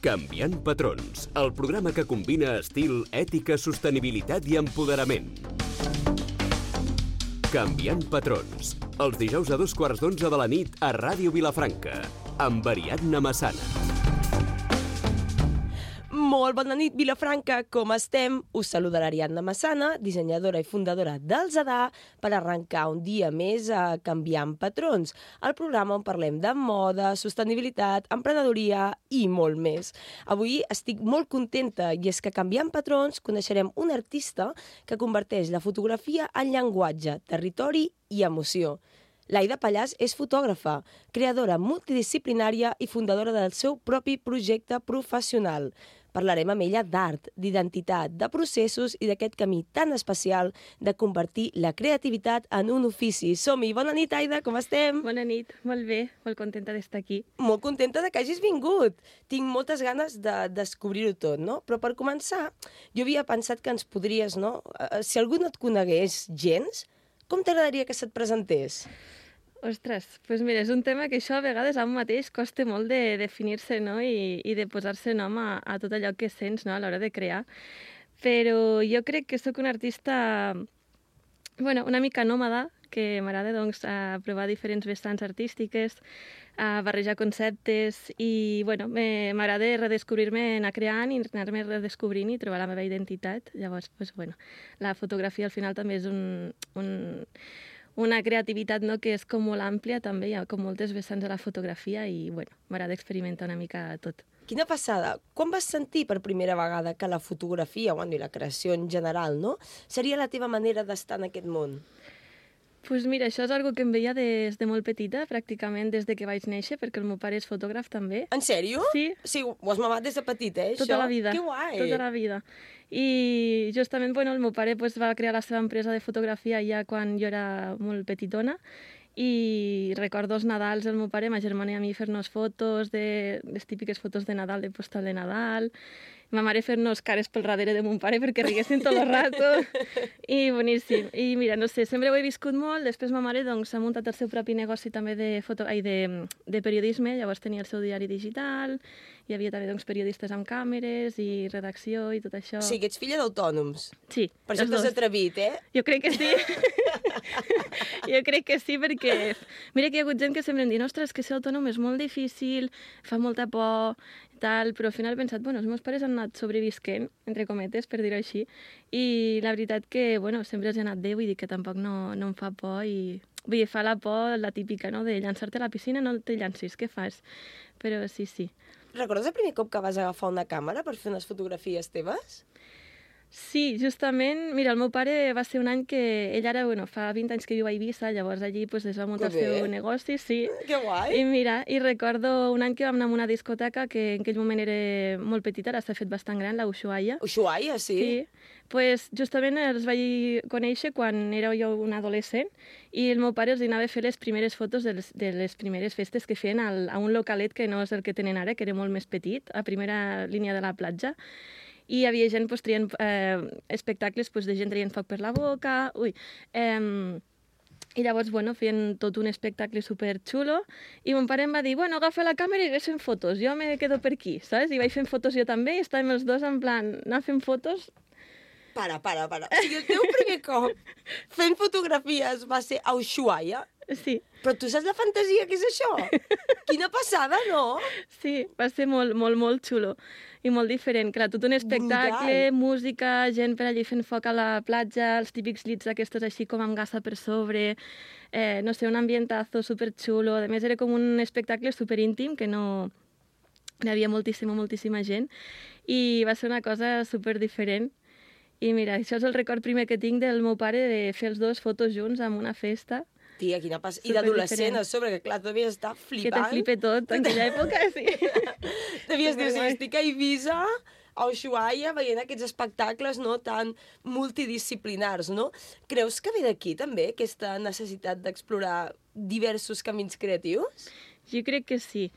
Canviant patrons, el programa que combina estil, ètica, sostenibilitat i empoderament. Canviant patrons, els dijous a 11:15 de la nit a Ràdio Vilafranca, amb Ariadna Massana. Molt bona nit, Vilafranca, com estem? Us saluda l'Ariadna Massana, dissenyadora i fundadora del Zadar, per arrencar un dia més a Canviant Patrons, el programa on parlem de moda, sostenibilitat, emprenedoria i molt més. Avui estic molt contenta i és que Canviant Patrons coneixerem un artista que converteix la fotografia en llenguatge, territori i emoció. L'Aida Pallàs és fotògrafa, creadora multidisciplinària i fundadora del seu propi projecte professional. Parlarem amb ella d'art, d'identitat, de processos i d'aquest camí tan especial de convertir la creativitat en un ofici. Som-hi! Bona nit, Aida, com estem? Bona nit, molt bé, molt contenta d'estar aquí. Molt contenta de que hagis vingut. Tinc moltes ganes de descobrir-ho tot, no? Però per començar, jo havia pensat que ens podries, no? Si algú no et conegués gens, com t'agradaria que se't presentés? Ostres, doncs mira, és un tema que això a vegades a un mateix costa molt de definir-se, no? I de posar-se nom a tot allò que sents, no? A l'hora de crear. Però jo crec que sóc una artista, bueno, una mica nòmada, que m'agrada doncs, provar diferents vessants artístiques, barrejar conceptes i bueno, m'agrada redescobrir-me, anar creant i anar-me redescobrint i trobar la meva identitat. Llavors, doncs, bueno, la fotografia al final també és una creativitat, no?, que és com molt àmplia també, hi ha com moltes vessants a la fotografia i bueno, m'agrada experimentar una mica tot. Quina passada! Quan vas sentir per primera vegada que la fotografia, bueno, i la creació en general, no?, seria la teva manera d'estar en aquest món? Doncs mira, això és algo que em veia des de molt petita, pràcticament des de que vaig néixer, perquè el meu pare és fotògraf també. En sèrio? Sí. Sí, ho has mamat des de petita, això? Tota la vida. Que guai! Tota la vida. I justament, bueno, el meu pare pues, va crear la seva empresa de fotografia ja quan jo era molt petitona i recordo els Nadals del meu pare, ma germana i a mi fer-nos fotos, les típiques fotos de Nadal, de postal de Nadal, ma mare fer-nos cares pel darrere de mon pare perquè riguessin tot el rato, i boníssim. I mira, no sé, sempre ho he viscut molt, després ma mare doncs, ha muntat el seu propi negoci també de periodisme, llavors tenia el seu diari digital, hi havia també doncs, periodistes amb càmeres i redacció i tot això. Sí, que ets filla d'autònoms. Sí. Per això t'has atrevit, eh? Jo crec que sí. Jo crec que sí, perquè mira que hi ha hagut gent que sempre em diu ostres, que ser autònom és molt difícil, fa molta por, tal, però al final he pensat, bueno, els meus pares han anat sobrevisquent, entre cometes, per dir-ho així, i la veritat que, bueno, sempre els he anat bé, vull dir que tampoc no em fa por i... Vull dir, fa la por la típica, no?, de llançar-te a la piscina, no te llancis, què fas? Però sí, sí. Recordes el primer cop que vas agafar una càmera per fer unes fotografies teves? Sí, justament, mira, el meu pare va ser un any que ell ara, bueno, fa 20 anys que viu a Eivissa, llavors allí pues, es va muntar el seu negoci, sí. Que guai! I mira, i recordo un any que vam anar a una discoteca que en aquell moment era molt petita, ara s'ha fet bastant gran, la Ushuaia. Ushuaia, sí? Sí, pues justament els vaig conèixer quan era jo un adolescent i el meu pare els anava a fer les primeres fotos de les primeres festes que feien a un localet que no és el que tenen ara, que era molt més petit, a primera línia de la platja. I hi havia gent pues, traient espectacles pues, de gent traient foc per la boca, i llavors, bueno, feien tot un espectacle superxulo i mon pare em va dir, bueno, agafa la càmera i ves fent fotos, jo me quedo per aquí, saps? I vaig fent fotos jo també i estàvem els dos en plan, anar fent fotos. Para. O sigui, el teu primer cop fent fotografies va ser a Ushuaia? Sí. Però tu saps la fantasia que és això? Quina passada, no? Sí, va ser molt, molt, molt xulo i molt diferent. Clar, tot un espectacle, brutal. Música, gent per allí fent foc a la platja, els típics llits aquests així com amb gassa per sobre, no sé, un ambientazo superxulo. A més, era com un espectacle superíntim que no... Hi havia moltíssima gent i va ser una cosa superdiferent. I mira, això és el record primer que tinc del meu pare de fer els dos fotos junts en una festa. Tia, quina passada. I d'adolescent a sobre, que clar, tu devies estar flipant. Que te flipe tot, en aquella època, sí. Devies dir, sí, estic a Eivissa, a Ushuaia, veient aquests espectacles, no?, tan multidisciplinars, no? Creus que ve d'aquí, també, aquesta necessitat d'explorar diversos camins creatius? Jo crec que sí.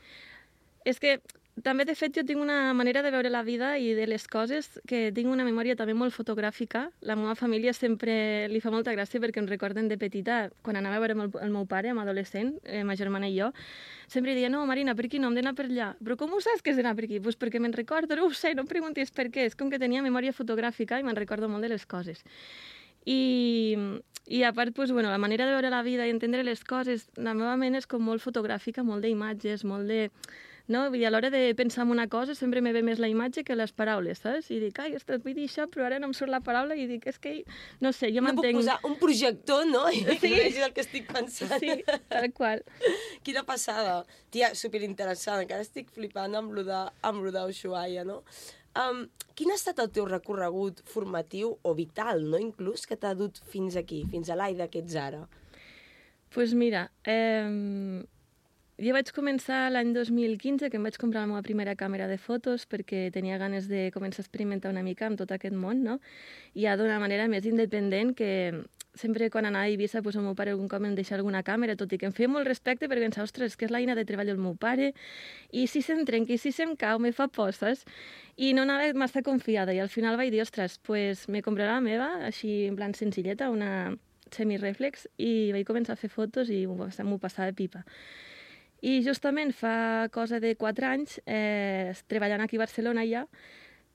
És que també, de fet, jo tinc una manera de veure la vida i de les coses que tinc una memòria també molt fotogràfica. La meva família sempre li fa molta gràcia perquè em recorden de petita, quan anava a veure el meu pare, amb adolescent, ma germana i jo, sempre deia, no, Marina, per aquí no, hem d'anar per allà. Però com ho saps que has d'anar per aquí? Pues perquè me'n recordo, no ho sé, no em preguntis per què. És com que tenia memòria fotogràfica i me'n recordo molt de les coses. I a part, pues, bueno, la manera de veure la vida i entendre les coses, la meva ment és com molt fotogràfica, molt d'imatges, molt de... No? Vull dir, a l'hora de pensar en una cosa sempre me ve més la imatge que les paraules, saps? I dic, ai, ostres, vull dir això, però ara no em surt la paraula i dic, és que, no sé, jo m'entenc... No puc posar un projector, no? I sí. vegis el que estic pensant. Sí, tal qual. Quina passada. Tia, superinteressant. Encara estic flipant amb lo d'Ushuaia, no? Quin ha estat el teu recorregut formatiu o vital, no? Inclús, que t'ha dut fins aquí, fins a l'Aida que ets ara? Pues mira, jo vaig començar l'any 2015, que em vaig comprar la meva primera càmera de fotos perquè tenia ganes de començar a experimentar una mica amb tot aquest món, no? I ja d'una manera més independent, que sempre quan anava a Eivissa, pues, el meu pare algun cop em deixava alguna càmera, tot i que em feia molt respecte perquè pensava, ostres, que és l'eina de treball del meu pare, i si se'm trenca, i si se'm cau, me fa por, saps? I no anava massa confiada, i al final vaig dir, ostres, pues me compraré la meva, així en plan senzilleta, una semireflex, i vaig començar a fer fotos i m'ho passava pipa. I justament fa cosa de 4 anys, treballant aquí a Barcelona ja,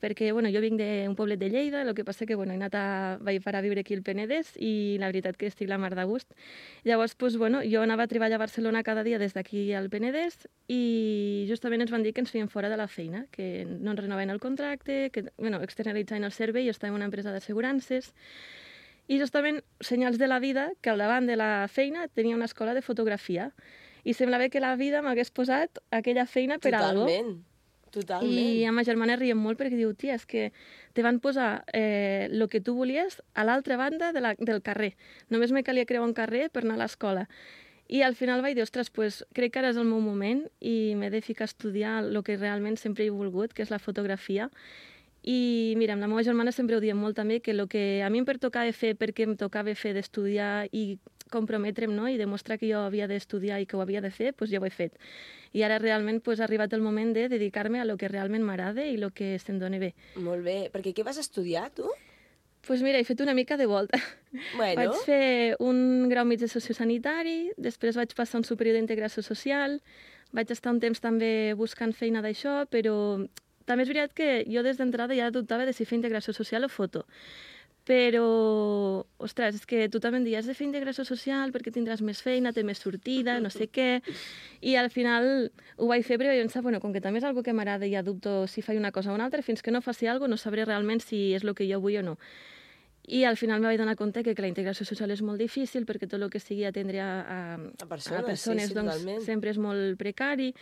perquè bueno, jo vinc d'un poblet de Lleida, el que passa que bueno, vaig parar a viure aquí al Penedès i la veritat que estic la mar de gust. Llavors, pues, bueno, jo anava a treballar a Barcelona cada dia des d'aquí al Penedès i justament ens van dir que ens feien fora de la feina, que no ens renovaven el contracte, que bueno, externalitzaven el servei, jo estava en una empresa d'assegurances. I justament, senyals de la vida, que al davant de la feina tenia una escola de fotografia. I semblava que la vida m'hagués posat aquella feina per algo. Totalment. I amb ma germana riem molt perquè diu, tia, és que te van posar el que tu volies a l'altra banda del carrer. Només me calia creuar un carrer per anar a l'escola. I al final vaig dir, ostres, pues, crec que ara és el meu moment i m'he de ficar a estudiar el que realment sempre he volgut, que és la fotografia. I mira, amb la meva germana sempre ho diem molt també, que el que a mi em pertocava fer perquè em tocava fer d'estudiar i comprometre'm, no? I demostrar que jo havia d'estudiar i que ho havia de fer, doncs ja ho he fet. I ara realment ha arribat el moment de dedicar-me a lo que realment m'agrada i el que se'm doni bé. Molt bé. Perquè què vas estudiar, tu? Doncs mira, he fet una mica de volta. Bueno. Vaig fer un grau mig de sociosanitari, després vaig passar un superior d'integració social, vaig estar un temps també buscant feina d'això, però també és veritat que jo des d'entrada ja dubtava de si fer integració social o foto. Però, ostres, és que tu també em dius, has de fer integració social perquè tindràs més feina, té més sortida, no sé què, i al final ho vaig fer perquè jo pensava, bueno, com que també és algo que m'agrada i ja dubto si faig una cosa o una altra, fins que no faci alguna cosa no sabré realment si és el que jo vull o no. I al final me vaig donar compte que la integració social és molt difícil perquè tot el que sigui atendre a persones sí, doncs, totalment. sempre és molt precari.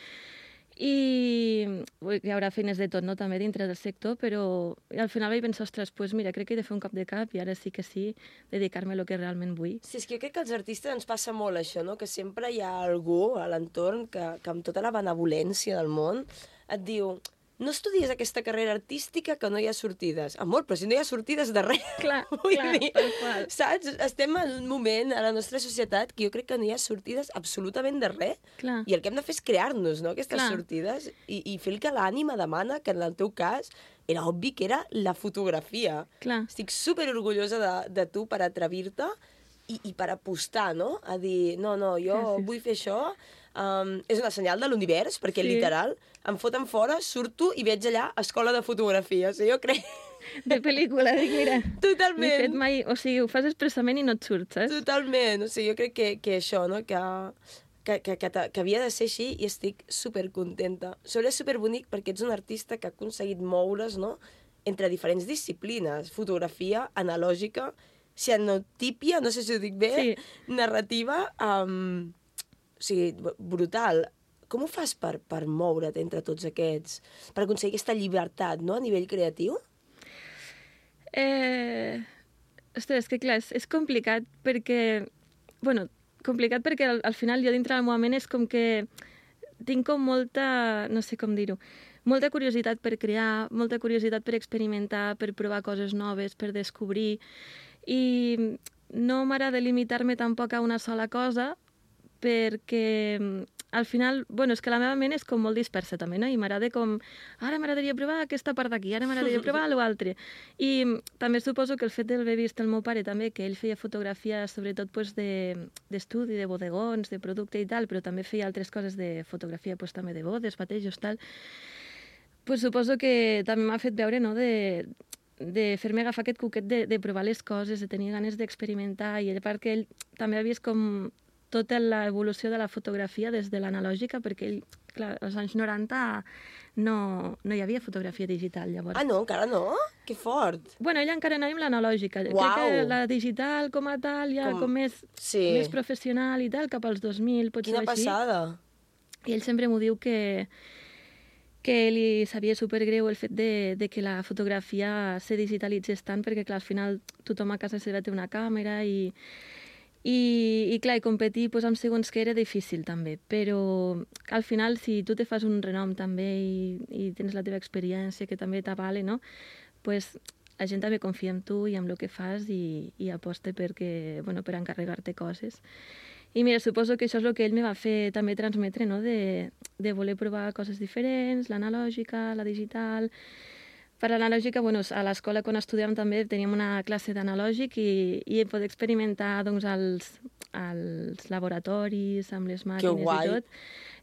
I hi haurà feines de tot, no?, també dintre del sector, però al final vaig pensar, ostres, pues mira, crec que he de fer un cap de cap i ara sí, dedicar-me a lo que realment vull. Sí, és que jo crec que als artistes ens passa molt això, no?, que sempre hi ha algú a l'entorn que amb tota la benevolència del món et diu, no estudies aquesta carrera artística que no hi ha sortides. Amor, però si no hi ha sortides de res. Clar, tal qual. Saps? Estem en un moment a la nostra societat que jo crec que no hi ha sortides absolutament de res. Clar. I el que hem de fer és crear-nos, no?, aquestes sortides i fer el que l'ànima demana, que en el teu cas era obvi que era la fotografia. Clar. Estic superorgullosa de tu per atrevir-te i per apostar, no?, a dir, no, jo vull fer això. És una senyal de l'univers, perquè literal, em foten fora, surto i veig allà escola de fotografia. O sigui, jo crec... De pel·lícula, dic, mira. Totalment. M'he fet mai... O sigui, ho fas expressament i no et surt, saps? Totalment. O sigui, jo crec que això, no?, que havia de ser així i estic supercontenta. Sobre és superbonic perquè ets un artista que ha aconseguit moure's, no?, entre diferents disciplines. Fotografia, analògica, cianotípia, no sé si ho dic bé, narrativa... O sigui, brutal. Com ho fas per moure't entre tots aquests? Per aconseguir aquesta llibertat, no?, a nivell creatiu? Ostres, que clar, és complicat perquè... Bueno, complicat perquè al final jo dintre del meu ment és com que tinc com molta... No sé com dir-ho. Molta curiositat per crear, molta curiositat per experimentar, per provar coses noves, per descobrir. I no m'agrada limitar-me tampoc a una sola cosa, perquè al final, bueno, és que la meva ment és com molt dispersa també, no? I m'agrada com, ara m'agradaria provar aquesta part d'aquí, ara m'agradaria provar l'altre. I també suposo que el fet d'haver vist el meu pare també, que ell feia fotografia sobretot pues, d'estudi, de bodegons, de producte i tal, però també feia altres coses de fotografia pues, també de bodes, batejos, tal, pues suposo que també m'ha fet veure, no?, de fer-me agafar aquest cuquet de provar les coses, de tenir ganes d'experimentar, i a part que ell també ha vist com tota l'evolució de la fotografia des de l'analògica, perquè ell, clar, als anys 90 no hi havia fotografia digital, llavors. Ah, no? Encara no? Que fort! Bueno, ell encara anava amb l'analògica. Crec que la digital com a tal, ja com més professional i tal, cap als 2000, potser Quina així. passada! I ell sempre m'ho diu que li sabia supergreu el fet de que la fotografia se digitalitzés tant, perquè clar, al final tothom a casa seva té una càmera i clar, i competir pues, amb segons que era difícil també, però al final si tu te fas un renom també i tens la teva experiència que també t'avale, no? Pues, la gent també confia en tu i en el que fas i aposta perquè, bueno, per encarregar-te coses. I mira, suposo que això és el que ell me va fer també transmetre, no? De voler provar coses diferents, l'analògica, la digital. Per l'analògica, bueno, a l'escola quan estudiàvem també teníem una classe d'analògic i poder experimentar doncs, als laboratoris, amb les màquines i tot.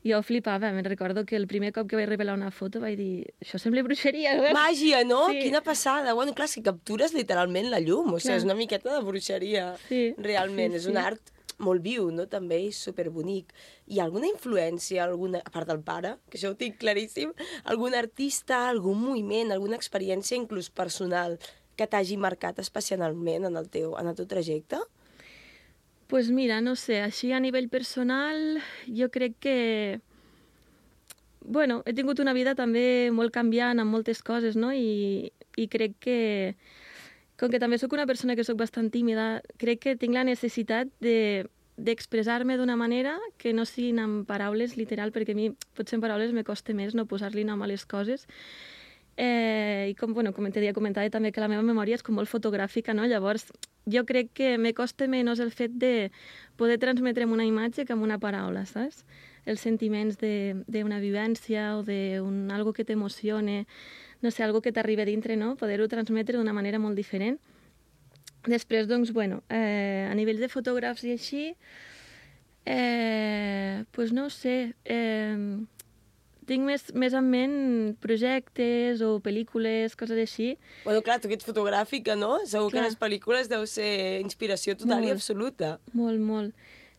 Jo flipava, me'n recordo que el primer cop que vaig revelar una foto vaig dir, això sembla bruixeria. Màgia, no? Sí. Quina passada. Bueno, clar, si captures literalment la llum, o sigui, és una miqueta de bruixeria. Sí. Realment, és un art molt viu, no? També, i superbonic. Hi ha alguna influència, a part del pare, que això ho tinc claríssim, algun artista, algun moviment, alguna experiència, inclús personal, que t'hagi marcat especialment en el teu trajecte? Pues mira, no sé, així a nivell personal, jo crec que... Bueno, he tingut una vida també molt canviant amb moltes coses, no? I crec que... Com que també sóc una persona que sóc bastant tímida, crec que tinc la necessitat d'expressar-me d'una manera que no siguin amb paraules literal, perquè a mi potser en paraules me costa més no posar-li nom a les coses. I com t'havia comentat també que la meva memòria és com molt fotogràfica, no? Llavors jo crec que me costa menys el fet de poder transmetre una imatge que amb una paraula, saps? Els sentiments d'una vivència o d'algo que t'emocione, no sé, algo que t'arriba dintre, no? Poder-ho transmetre d'una manera molt diferent. Després, doncs, bueno, a nivell de fotògrafs i així, pues no sé, tinc més en ment projectes o pel·lícules, coses així. Bueno, clar, tu que ets fotogràfica, no? Segur que les pel·lícules deu ser inspiració total i absoluta. Molt, molt.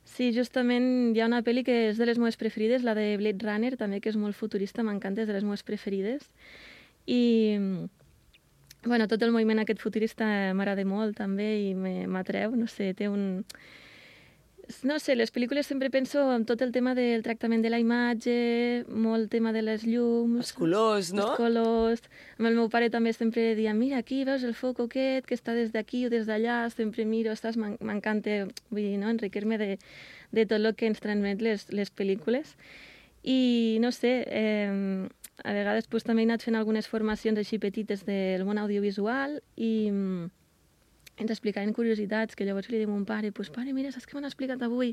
Sí, justament hi ha una pel·li que és de les meves preferides, la de Blade Runner, també, que és molt futurista, m'encanta, és de les meves preferides. I, bueno, tot el moviment aquest futurista m'agrada molt, també, i m'atreu, no sé, té un... No sé, les pel·lícules sempre penso en tot el tema del tractament de la imatge, molt tema de les llums... Els colors, no? Els colors. Amb el meu pare també sempre deia, mira, aquí veus el foc aquest, que està des d'aquí o des d'allà, sempre miro, m'encanta, vull dir, no?, enriquir-me de tot el que ens transmet les pel·lícules. I, no sé, a vegades pues, també he anat fent algunes formacions així petites del món audiovisual i ens explicaven curiositats, que llavors li diu a mon pare, pues, pare, mira, saps què m'han explicat avui?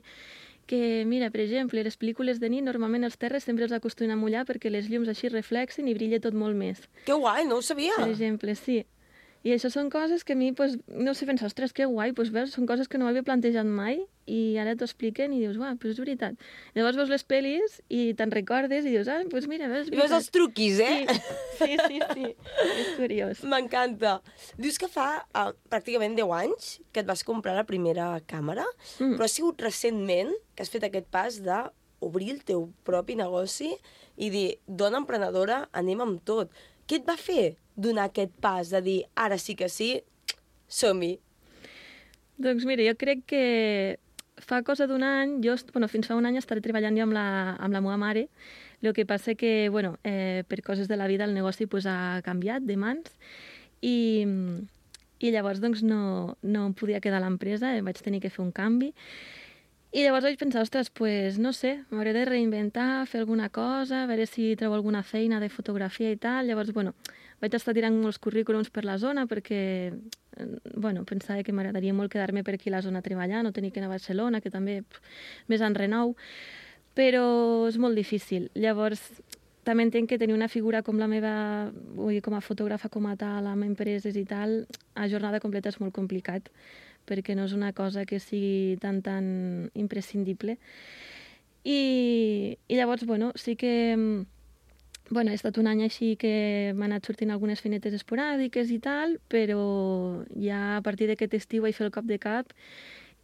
Que, mira, per exemple, les pel·lícules de nit, normalment els terres sempre els acostumen a mullar perquè les llums així reflexen i brilla tot molt més. Que guai, no ho sabia! Per exemple, sí. I això són coses que a mi, pues, no sé, penso, ostres, que guai, pues, veus, són coses que no m'havia plantejat mai i ara t'ho expliquen i dius, uah, pues és veritat. Llavors veus les pel·lis i te'n recordes i dius, ah, pues mira, veus, és veritat. I veus els truquis, eh? Sí. És curiós. M'encanta. Dius que fa pràcticament 10 anys que et vas comprar la primera càmera, però ha sigut recentment que has fet aquest pas d'obrir el teu propi negoci i dir, dona emprenedora, anem amb tot. Què et va fer donar aquest pas de dir, ara sí que sí, som-hi? Doncs mira, jo crec que fa cosa d'un any, fins fa un any estaré treballant jo amb la meva mare. El que passa que, per coses de la vida el negoci pues, ha canviat de mans i llavors doncs, no em podia quedar a l'empresa, vaig tenir que fer un canvi. I llavors vaig pensar, ostres, pues, no sé, m'hauré de reinventar, fer alguna cosa, a veure si trobo alguna feina de fotografia i tal. Llavors, vaig estar tirant molts currículums per la zona perquè pensava que m'agradaria molt quedar-me per aquí a la zona treballant, no tenir que anar a Barcelona, que també més en renou, però és molt difícil. Llavors, també entenc que tenir una figura com la meva, vull dir, com a fotògrafa com a tal, amb empreses i tal, a jornada completa és molt complicat, perquè no és una cosa que sigui tan imprescindible. I llavors, sí que... he estat un any així que m'han anat sortint algunes feines esporàdiques i tal, però ja a partir d'aquest estiu vaig fer el cop de cap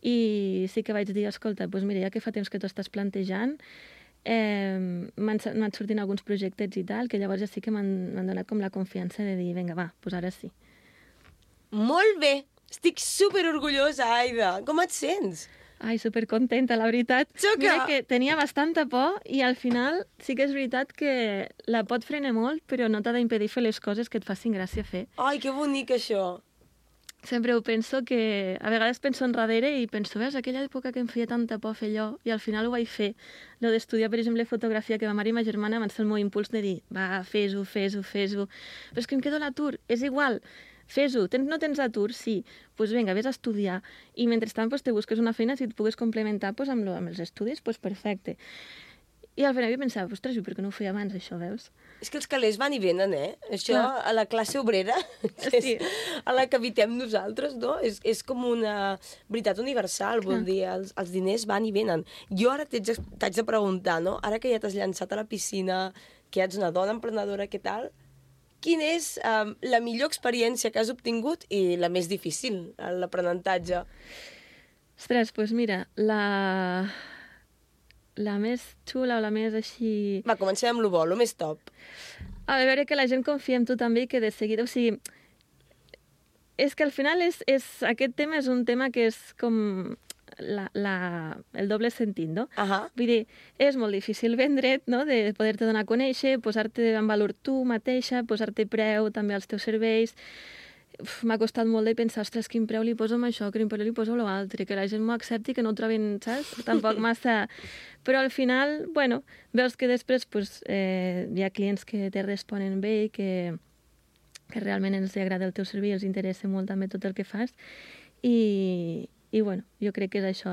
i sí que vaig dir, escolta, doncs mira, ja que fa temps que t'ho estàs plantejant, m'han anat sortint alguns projectes i tal, que llavors ja sí que m'han donat com la confiança de dir, vinga, va, doncs ara sí. Molt bé! Estic superorgullosa, Aida! Com et sents? Ai, supercontenta, la veritat. Mira que tenia bastanta por i al final sí que és veritat que la por et frena molt, però no t'ha d'impedir fer les coses que et facin gràcia fer. Ai, que bonic això! Sempre ho penso que... A vegades penso enrere i penso, veus, aquella època que em feia tanta por fer allò, i al final ho vaig fer. Lo d'estudiar, per exemple, fotografia, que ma mare i ma germana van ser el meu impuls de dir, va, fes-ho. Però és que em quedo a l'atur, és igual. Fes-ho, no tens atur? Sí. Doncs vinga, vés a estudiar. I mentrestant te busques una feina, si et pugues complementar amb els estudis, doncs perfecte. I al final jo pensava, ostres, per què no ho feia abans, això, veus? És que els calés van i venen, Això, a la classe obrera, sí. A la que habitem nosaltres, no? És com una veritat universal, vol dir, els diners van i venen. Jo ara t'haig de preguntar, no? Ara que ja t'has llançat a la piscina, que ja ets una dona emprenedora, què tal? Quina és la millor experiència que has obtingut i la més difícil, l'aprenentatge? Ostres, doncs mira, la més xula o la més així... Va, comencem amb lo bo, lo més top. A veure, que la gent confia en tu també i que de seguida... O sigui, és que al final aquest tema és un tema que és com el doble sentit, no? Vull dir, és molt difícil vendre't, no? De poder-te donar a conèixer, posar-te en valor tu mateixa, posar-te preu també als teus serveis. M'ha costat molt de pensar, ostres, quin preu li poso amb això, quin preu li poso amb l'altre, que la gent m'ho accepti, que no ho trobin, saps? Tampoc massa... Però al final, veus que després hi ha clients que te responen bé i que realment ens agrada el teu servei, els interessa molt també tot el que fas. I jo crec que és això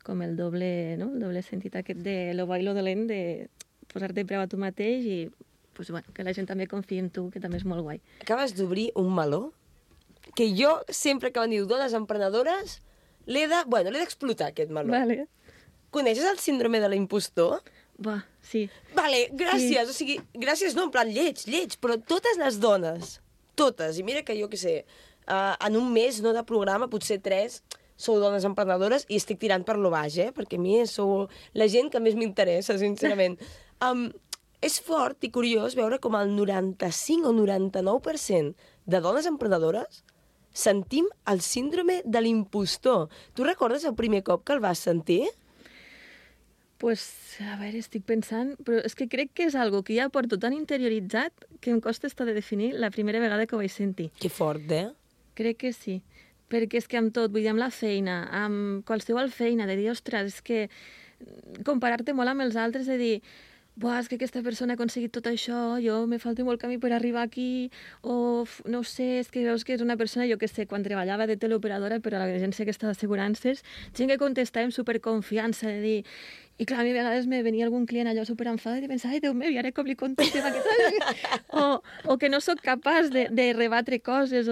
com el doble sentit aquest de lo bo i lo dolent, de posar-te preu a tu mateix i que la gent també confia en tu, que també és molt guai. Acabes d'obrir un meló que jo, sempre que diu dones emprenedores, l'he d'explotar, aquest meló. Vale. Coneixes el síndrome de l'impostor? Sí. Vale, gràcies. Sí. O sigui, gràcies no, en plan lleig, però totes les dones, totes, i mira que jo què sé, en un mes de programa, potser 3, sou dones emprenedores i estic tirant per lo baix, perquè a mi sou la gent que més m'interessa, sincerament. És fort i curiós veure com el 95 o 99% de dones emprenedores sentim el síndrome de l'impostor. Tu recordes el primer cop que el vas sentir? A veure, estic pensant, però és que crec que és algo que ja porto tan interioritzat que em costa estar de definir la primera vegada que ho vaig sentir. Que fort, Crec que sí, perquè és que amb tot, vull dir, amb la feina, amb qualsevol feina, de dir, ostres, és que comparar-te molt amb els altres, de dir, és que aquesta persona ha aconseguit tot això, jo me falta molt camí per arribar aquí, o no sé, és que veus que és una persona, jo que sé, quan treballava de teleoperadora per a l'agència aquesta d'assegurances, gent que contestava amb superconfiança, de dir... I clar, a mi a vegades me venia algun client allò superenfadat i pensava, ai, Déu meu, i ara com li contestem aquest... o que no sóc capaç de rebatre coses,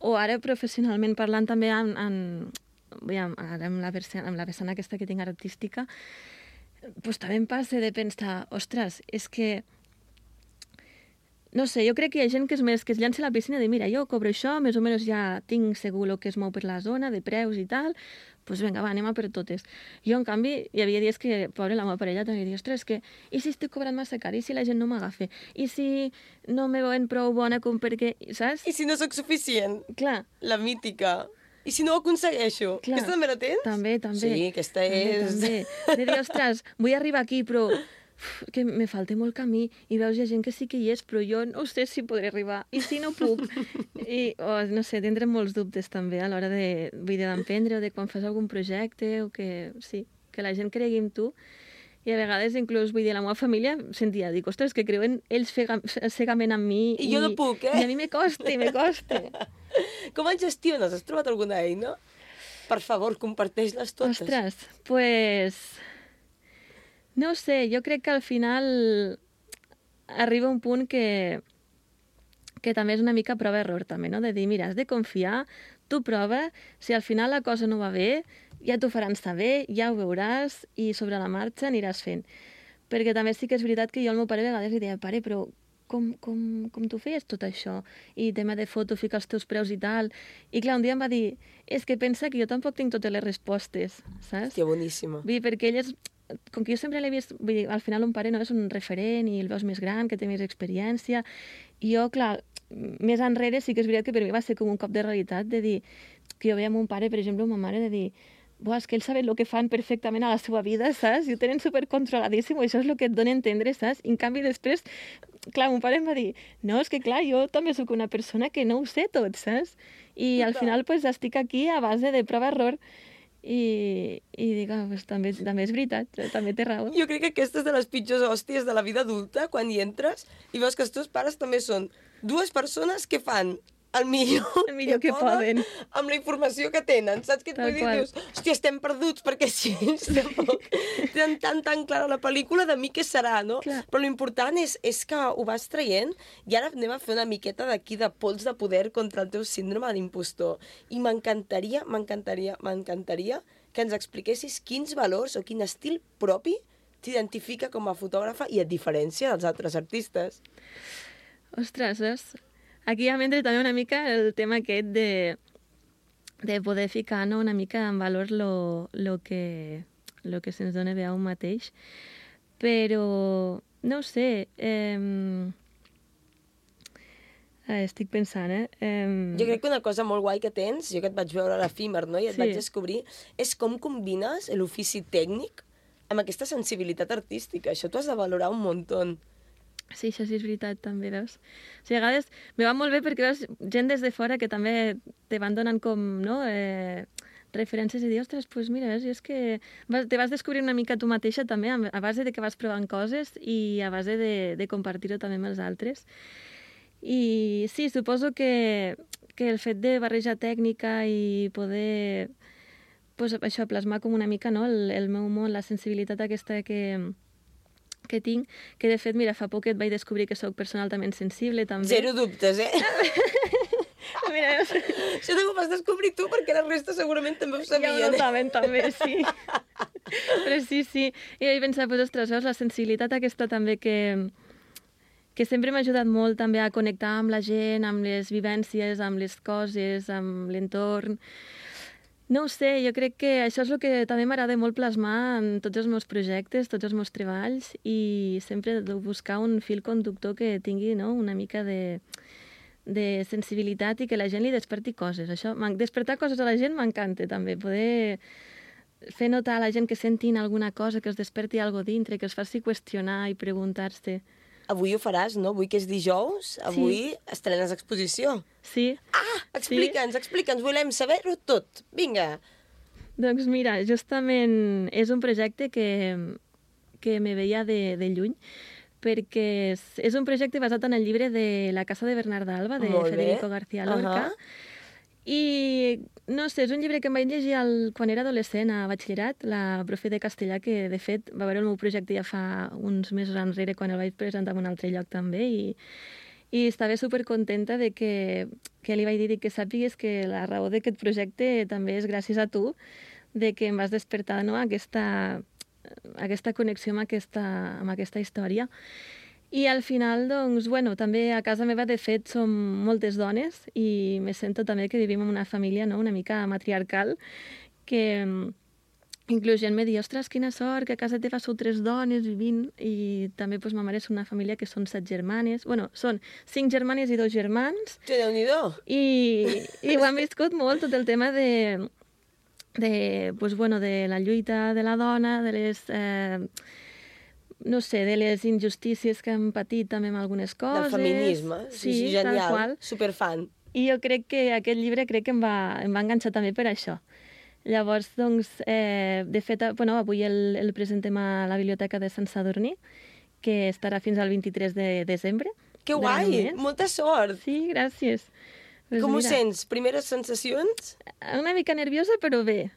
o ara professionalment parlant també amb la vessant aquesta que tinc artística, doncs també em passa de pensar, ostres, és que... No sé, jo crec que hi ha gent que es llança a la piscina i diu, mira, jo cobro això, més o menys ja tinc segur el que es mou per la zona, de preus i tal, doncs vinga, va, anem a per totes. Jo, en canvi, hi havia dies que, pobra, la meva parella també diu, ostres, que i si estic cobrant massa car, i si la gent no m'agafa, i si no me veuen prou bona com perquè, saps? I si no sóc suficient. Clar. La mítica. I si no ho aconsegueixo? Clar. Aquesta també la tens? També. Sí, aquesta és... També. De dir, ostres, vull arribar aquí, però... que me falta molt camí, i veus, hi ha gent que sí que hi és, però jo no sé si podré arribar, i si no puc. I, no sé, tindrem molts dubtes també a l'hora d'emprendre o de quan fas algun projecte, o que la gent cregui en tu. I a vegades, inclús, vull dir, la meva família sentia, dic, ostres, que creuen ells cegament en mi. I jo no puc, I a mi me costa. Com el gestiones? Has trobat alguna eina? Per favor, comparteix-les totes. Ostres, pues... No ho sé, jo crec que al final arriba un punt que també és una mica prova-error, també, no? De dir, mira, has de confiar, tu prova, si al final la cosa no va bé, ja t'ho faran saber, ja ho veuràs, i sobre la marxa aniràs fent. Perquè també sí que és veritat que jo al meu pare a vegades li deia, pare, però com tu feies tot això? I tema de foto, ficar els teus preus i tal. I clar, un dia em va dir, és que pensa que jo tampoc tinc totes les respostes, saps? Hòstia, boníssima. Vull dir, perquè ell és... Com que jo sempre l'he vist... Vull dir, al final un pare no és un referent i el veus més gran, que té més experiència. I jo, clar, més enrere sí que és veritat que per mi va ser com un cop de realitat de dir que jo veia mon pare, per exemple, o ma mare, de dir és que ells saben el que fan perfectament a la seva vida, saps? I ho tenen supercontroladíssim, això és el que et dona a entendre, saps? I en canvi després, clar, mon pare em va dir, no, és que clar, jo també sóc una persona que no ho sé tot, saps? I al final pues, estic aquí a base de prova-error i dic, pues, també és veritat, també té raó. Jo crec que aquesta és de les pitjors hòsties de la vida adulta, quan hi entres i veus que els teus pares també són dues persones que fan el millor que poden amb la informació que tenen, saps què et vull dir? Dius, hòstia, estem perduts perquè sí, tenen tan clara la pel·lícula de mi què serà, no? Clar. Però l'important és que ho vas traient i ara anem a fer una miqueta d'aquí de pols de poder contra el teu síndrome d'impostor. I m'encantaria que ens expliquessis quins valors o quin estil propi t'identifica com a fotògrafa i et diferència dels altres artistes. Ostres, aquí ja m'entra també una mica el tema aquest de poder ficar, no, una mica en valor lo que se'ns dona bé a un mateix. Però, no ho sé, estic pensant, Jo crec que una cosa molt guai que tens, jo que et vaig veure a l'Efímer, no? I et vaig descobrir, és com combines l'ofici tècnic amb aquesta sensibilitat artística. Això t'ho has de valorar un muntó. Sí, això sí és veritat, també, veus? O sigui, a vegades me va molt bé perquè veus gent des de fora que també te van donant com, no?, referències i dir, ostres, doncs mira, veus, és que te vas descobrir una mica tu mateixa també a base de que vas provant coses i a base de compartir-ho també amb els altres. I sí, suposo que el fet de barrejar tècnica i poder, pues, això, plasmar com una mica, no?, el meu món, la sensibilitat aquesta que tinc, que de fet, mira, fa poc et vaig descobrir que sóc persona altament sensible, també. Zero dubtes, Mira, això ho vas descobrir tu, perquè la resta segurament també ho sabien. Ja ho saben, també, sí. Però sí. I vaig pensar, pues, ostres, veus, la sensibilitat aquesta també que sempre m'ha ajudat molt també a connectar amb la gent, amb les vivències, amb les coses, amb l'entorn. No ho sé, jo crec que això és el que també m'agrada molt plasmar en tots els meus projectes, tots els meus treballs, i sempre de buscar un fil conductor que tingui, no?, una mica de sensibilitat i que la gent li desperti coses. Això, despertar coses a la gent m'encanta també, poder fer notar a la gent que sentin alguna cosa, que els desperti alguna cosa dintre, que els faci qüestionar i preguntar-se. Avui ho faràs, no? Avui que és dijous, avui estrenes exposició. Sí. Explica'ns, volem saber-ho tot. Vinga. Doncs mira, justament és un projecte que me veia de lluny, perquè és un projecte basat en el llibre de La casa de Bernarda Alba, de Federico García Lorca. I, no sé, és un llibre que em vaig llegir quan era adolescent a batxillerat, la profe de castellà, que de fet va veure el meu projecte ja fa uns mesos enrere, quan el vaig presentar en un altre lloc també, i estava supercontenta de que li vaig dir que sàpigues que la raó d'aquest projecte també és gràcies a tu, de que em vas despertar, no?, aquesta connexió amb aquesta història. I al final, doncs, bueno, també a casa meva, de fet, som moltes dones i me sento també que vivim en una família, no?, una mica matriarcal, que inclús gent me diu, ostres, quina sort, que a casa teva sou 3 dones vivint, i també, doncs, ma mare és una família que són 7 germanes, bueno, són 5 germanes i 2 germans. Déu-n'hi-do! I ho han viscut molt, tot el tema de la lluita de la dona, de les... no sé, de les injustícies que hem patit també amb algunes coses. Del feminisme, sí, genial, tal qual. Superfan. I jo crec que aquest llibre em va enganxar també per això. Llavors, doncs, de fet, avui el presentem a la Biblioteca de Sant Sadurní, que estarà fins al 23 de desembre. Que guai! Molta sort! Sí, gràcies. Pues Com ho mira, sents? Primeres sensacions? Una mica nerviosa, però bé.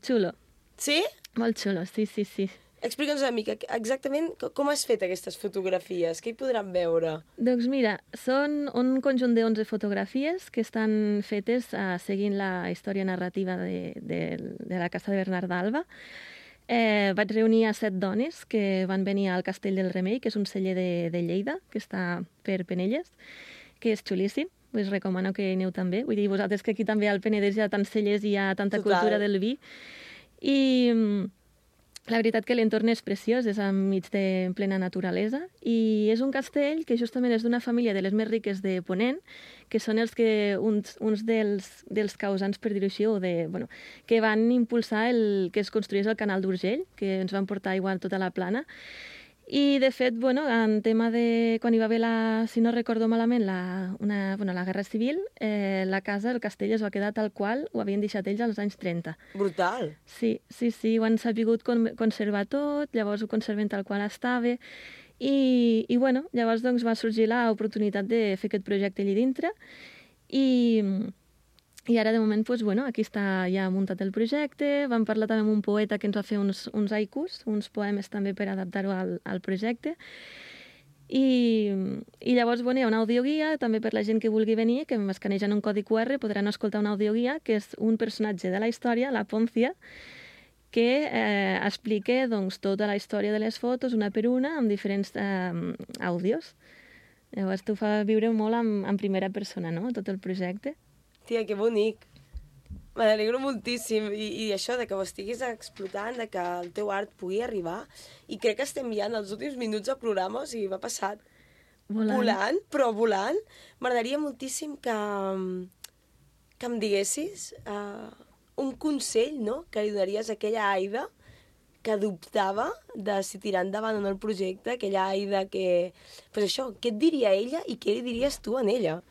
Xulo. Sí? Molt xulo, sí. Explica'ns una mica exactament com has fet aquestes fotografies, què hi podran veure? Doncs mira, són un conjunt de 11 fotografies que estan fetes seguint la història narrativa de la Casa de Bernard d'Alba. Vaig reunir a 7 dones que van venir al Castell del Remei, que és un celler de Lleida, que està per Penelles, que és xulíssim. Us recomano que aneu també. Vull dir, vosaltres que aquí també al Penedès hi ha tants cellers i hi ha tanta cultura del vi. I la veritat que l'entorn és preciós, és enmig de plena naturalesa, i és un castell que justament és d'una família de les més riques de Ponent, que són uns dels causants, per dir-ho així, que van impulsar que es construís el canal d'Urgell, que ens van portar aigua a tota la plana. I, de fet, en tema de... Quan hi va haver, si no recordo malament, la Guerra Civil, la casa, el castell, es va quedar tal qual ho havien deixat ells als anys 30. Brutal. Sí, ho han sabut conservar tot, llavors ho conserven tal qual estava, i llavors va sorgir l'oportunitat de fer aquest projecte allà dintre, i ara, de moment, aquí està ja muntat el projecte. Vam parlar també amb un poeta que ens va fer uns haikus, uns poemes també per adaptar-ho al projecte. I llavors, hi ha una audioguia, també per la gent que vulgui venir, que escanejant un codi QR podran escoltar una audioguia, que és un personatge de la història, la Poncia, que explica tota la història de les fotos, una per una, amb diferents àudios. Llavors, t'ho fa viure molt en primera persona, no?, tot el projecte. Tia, que bonic. Me n'alegro moltíssim. I això, de que ho estiguis explotant, de que el teu art pugui arribar. I crec que estem ja en els últims minuts del programa, o sigui, m'ha passat volant, però volant. M'agradaria moltíssim que em diguessis un consell, no?, que li donaries a aquella Aida que dubtava de si tirar endavant en el projecte, aquella Aida que... Pues això, què et diria ella i què li diries tu a ella?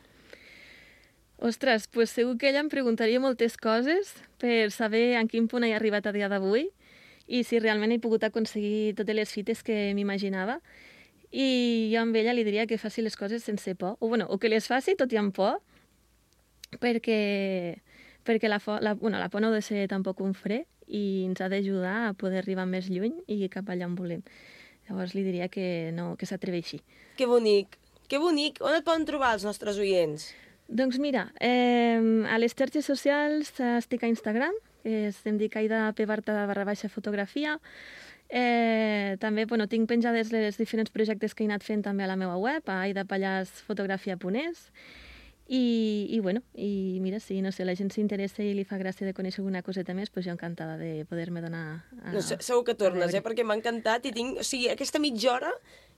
Ostres, doncs segur que ella em preguntaria moltes coses per saber en quin punt he arribat a dia d'avui i si realment he pogut aconseguir totes les fites que m'imaginava. I jo amb ella li diria que faci les coses sense por, o que les faci tot i amb por, perquè la por no ha de ser tampoc un fre i ens ha d'ajudar a poder arribar més lluny i cap allà on volem. Llavors li diria que s'atreveixi. Que bonic, que bonic! On et poden trobar els nostres oients? Doncs mira, a les xarxes socials estic a Instagram, em dic aida_fotografia. També tinc penjades els diferents projectes que he anat fent també a la meva web, a aidapallasfotografia.es. I mira, si no sé, la gent s'interessa i li fa gràcia de conèixer alguna coseta més, doncs jo encantada de poder-me donar segur que tornes, perquè m'ha encantat i tinc... O sigui, aquesta mitja hora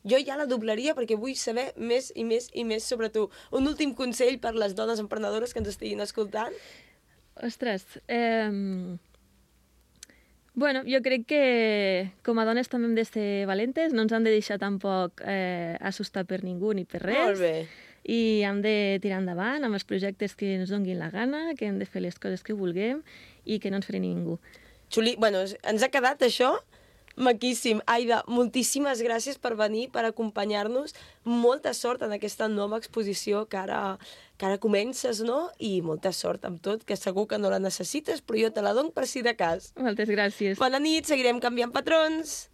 jo ja la doblaria perquè vull saber més i més i més sobre tu. Un últim consell per les dones emprenedores que ens estiguin escoltant? Ostres, jo crec que com a dones també hem de ser valentes, no ens han de deixar tampoc assustar per ningú ni per res. Molt bé. I hem de tirar endavant amb els projectes que ens donguin la gana, que hem de fer les coses que vulguem i que no ens freni ningú. Ens ha quedat això maquíssim. Aida, moltíssimes gràcies per venir, per acompanyar-nos. Molta sort en aquesta nova exposició que ara comences, no? I molta sort amb tot, que segur que no la necessites, però jo te la dono per si de cas. Moltes gràcies. Bona nit, seguirem canviant patrons.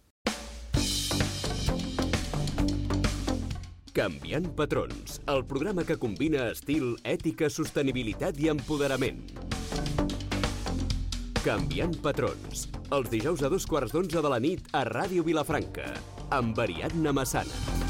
Canviant patrons, el programa que combina estil, ètica, sostenibilitat i empoderament. Canviant patrons, els dijous a 11:15 de la nit a Ràdio Vilafranca, amb Ariadna Massana.